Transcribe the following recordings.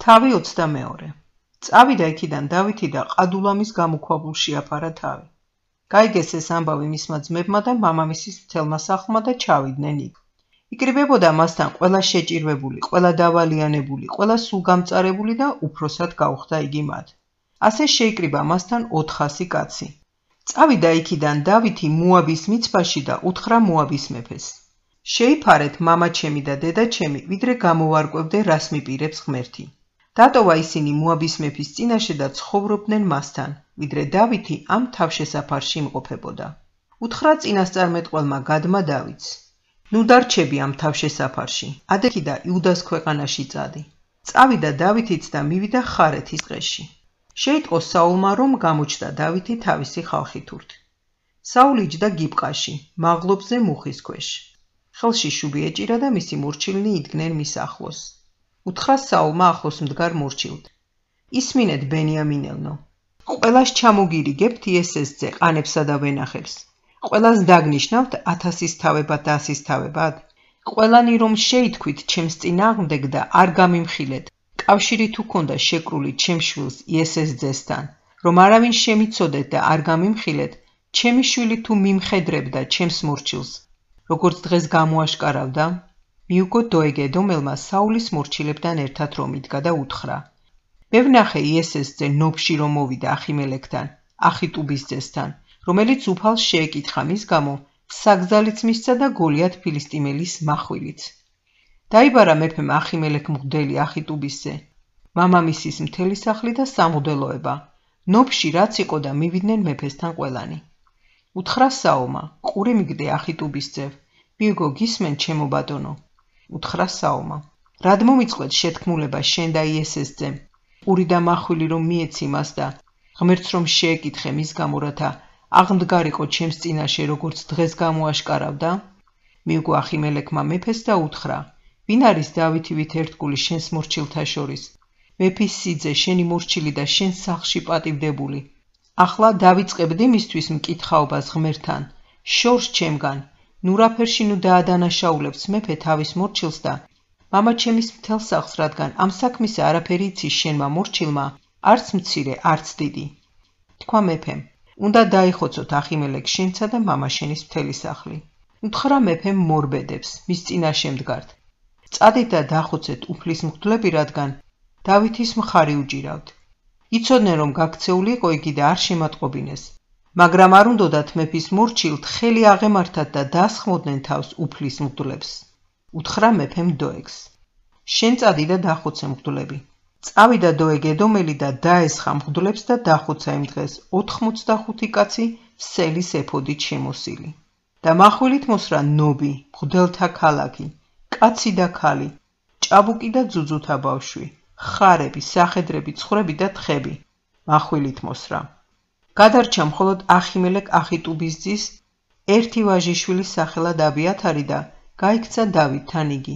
თავი 22. წავიდა იქიდან დავითი და ყადულამის გამოქვაბულში აფარა თავი. გაიგეს ეს ამბავი მისმა ძმებმა და მამამისის მთელმა სახლმა და ჩავიდნენ იქ. იკრიბებოდა მასთან ყველა შეჭირვებული, ყველა დავალიანებული, ყველა სულგამწარებული და უფროსად გაუხდა იგი მათ. ასე შეიკრიბა მასთან 400 კაცი. წავიდა იქიდან დავითი მოაბის მიცვაში და უთხრა მოაბის მეფეს: შეიფარეთ მამაჩემი და დედაჩემი, ვიდრე გამოვარკვევდე რას მიპირებს ღმერთი. დატოვა ისინი მოაბის მეფის წინაშე და ცხოვრობდნენ მასთან, ვიდრე დავითი ამ თავშესაფარში იმყოფებოდა. უთხრა წინასწარმეტყველმა გადმა დავითს: ნუ დარჩები ამ თავშესაფარში, ადექი და იუდას ქვეყანაში წადი. წავიდა დავითიც და მივიდა ხარეთის ტყეში. შეიტყო საულმა, რომ გამოჩნდა დავითი თავისი ხალხითურთ. საული იჯდა გიბყაში, მაღლობზე მუხის ქვეშ. ხელში შუბი ეჭირა და მისი მორჩილნი იდგნენ მის ახლოს. უთხრა საულმა ახლოს მდგარ მორჩილთ: ისმინეთ ბენიამინელნო, ყველას ჩამოგირიგებთ იესესძე ყანებსა და ვენახებს. ყველას დაგნიშნავთ 1000-ის თავებად და 100-ის თავებად. ყველანი რომ შეითქვით ჩემს წინააღმდეგ და არ გამიმხილეთ, კავშირი თუ ქონდა შეკრული ჩემს შვილს იესესძესთან, რომ არავინ შემიცოდეთ და არ გამიმხილეთ, ჩემი შვილი თუ მიმხედრებდა ჩემს მორჩილს, როგორც დღეს გამოაშკარავდა. მიუგო დოეგ ედომელმა საულის მორჩილებთან ერთად რომ იდგა და უთხრა: მე ვნახე იესესძე ნოფში რომ მოვიდა ახიმელეკთან, ახიტუბის ძესთან, რომელიც უფალს შეეკითხა მის გამო, საგზალიც მისცა და გოლიათ ფილისტიმელის מחვილიც. დაიბარა მეფემ ახიმელეკ მღვდელი ახიტუბისზე, მამამისის მთელი სახლი და სამღვდელოება. ნოფში რაც იყო და მივიდნენ მეფესთან ყველანი. უთხრა საულმა: ყური მიგდე ახიტუბის ძევ, მიუგო გისმენ ჩემო ბატონო. უთხრა საულმა: რად მომიწყვეთ შეთქმულება შენ და იესესძემ, ყური და მახვილი რომ მიეცი მას და ღმერთს რომ შეეკითხე მის გამო, რათა აღმდგარიყო ჩემს წინაშე, როგორც დღეს გამოაშკარავდა. მიუგო ახიმელეკმა მეფეს და უთხრა: ვინ არის დავითივით ერთგული შენს მორჩილთა შორის, მეფის სიძე, შენი მორჩილი და შენ სახლში პატივდებული. ახლა დავიწყებდი მისთვის მკითხაობას ღმერთთან, შორს ჩემგან, ნურაფერში ნუ დაადანაშაულებს მეფე თავის მორჩილს და მამაჩემის მთელ სახლს, რადგან ამ საქმისა არაფერი იცის შენმა მორჩილმა, არც მცირე, არც დიდი. თქვა მეფემ: უნდა დაიხოცოთ ახიმელეკ შენსა და მამაშენის მთელი სახლი. უთხრა მეფემ მორბედებს, მის წინაშე მდგართ: წადით და დახოცეთ უფლის მღვდლები, რადგან დავითის მხარი უჭირავთ. იცოდნენ რომ გაქცეული იყო იგი და არ შემატყობინეს, მაგრამ არ უნდოდათ მეფის მორჩილთ ხელი აღემართათ და დასხმოდნენ თავს უფლის მღვდლებს. უთხრა მეფემ დოეგს: შენ წადი და დახოცე მღვდლები. წავიდა დოეგ ედომელი და დაესხა მღვდლებს და დახოცა იმ დღეს 85 კაცი სელის ეფოდით შემოსილი. და מחვილით მოსრა ნობი, მღვდელთა ქალაქი, კაცი და ქალი, ჭაბუკი და ძუძუთა ბავშვი, ხარები, სახედრები, ცხვრები და თხები. מחვილით მოსრა. გადარჩა მხოლოდ ახიმელეკ ახიტუბის ძის ერთი ვაჟიშვილის სახელად აბიათარი და გაიქცა დავითთან იგი.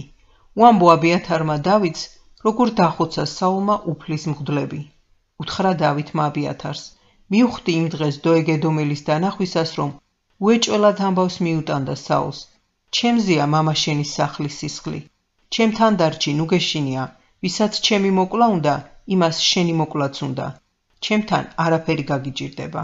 უამბო აბიათარმა დავითს, როგორ დახოცა საულმა უფლის მღვდლები. უთხრა დავითმა აბიათარს: მიუხვდი იმ დღეს დოეგ ედომელის დანახვისას, რომ უეჭველად ამბავს მიუტანდა საულს. ჩემზეა მამაშენის სახლის სისხლი. ჩემთან დარჩი, ნუ გეშინია, ვისაც ჩემი მოკლა უნდა, იმას შენი მოკლაც უნდა. ჩემთან არაფერი გაგიჭირდება.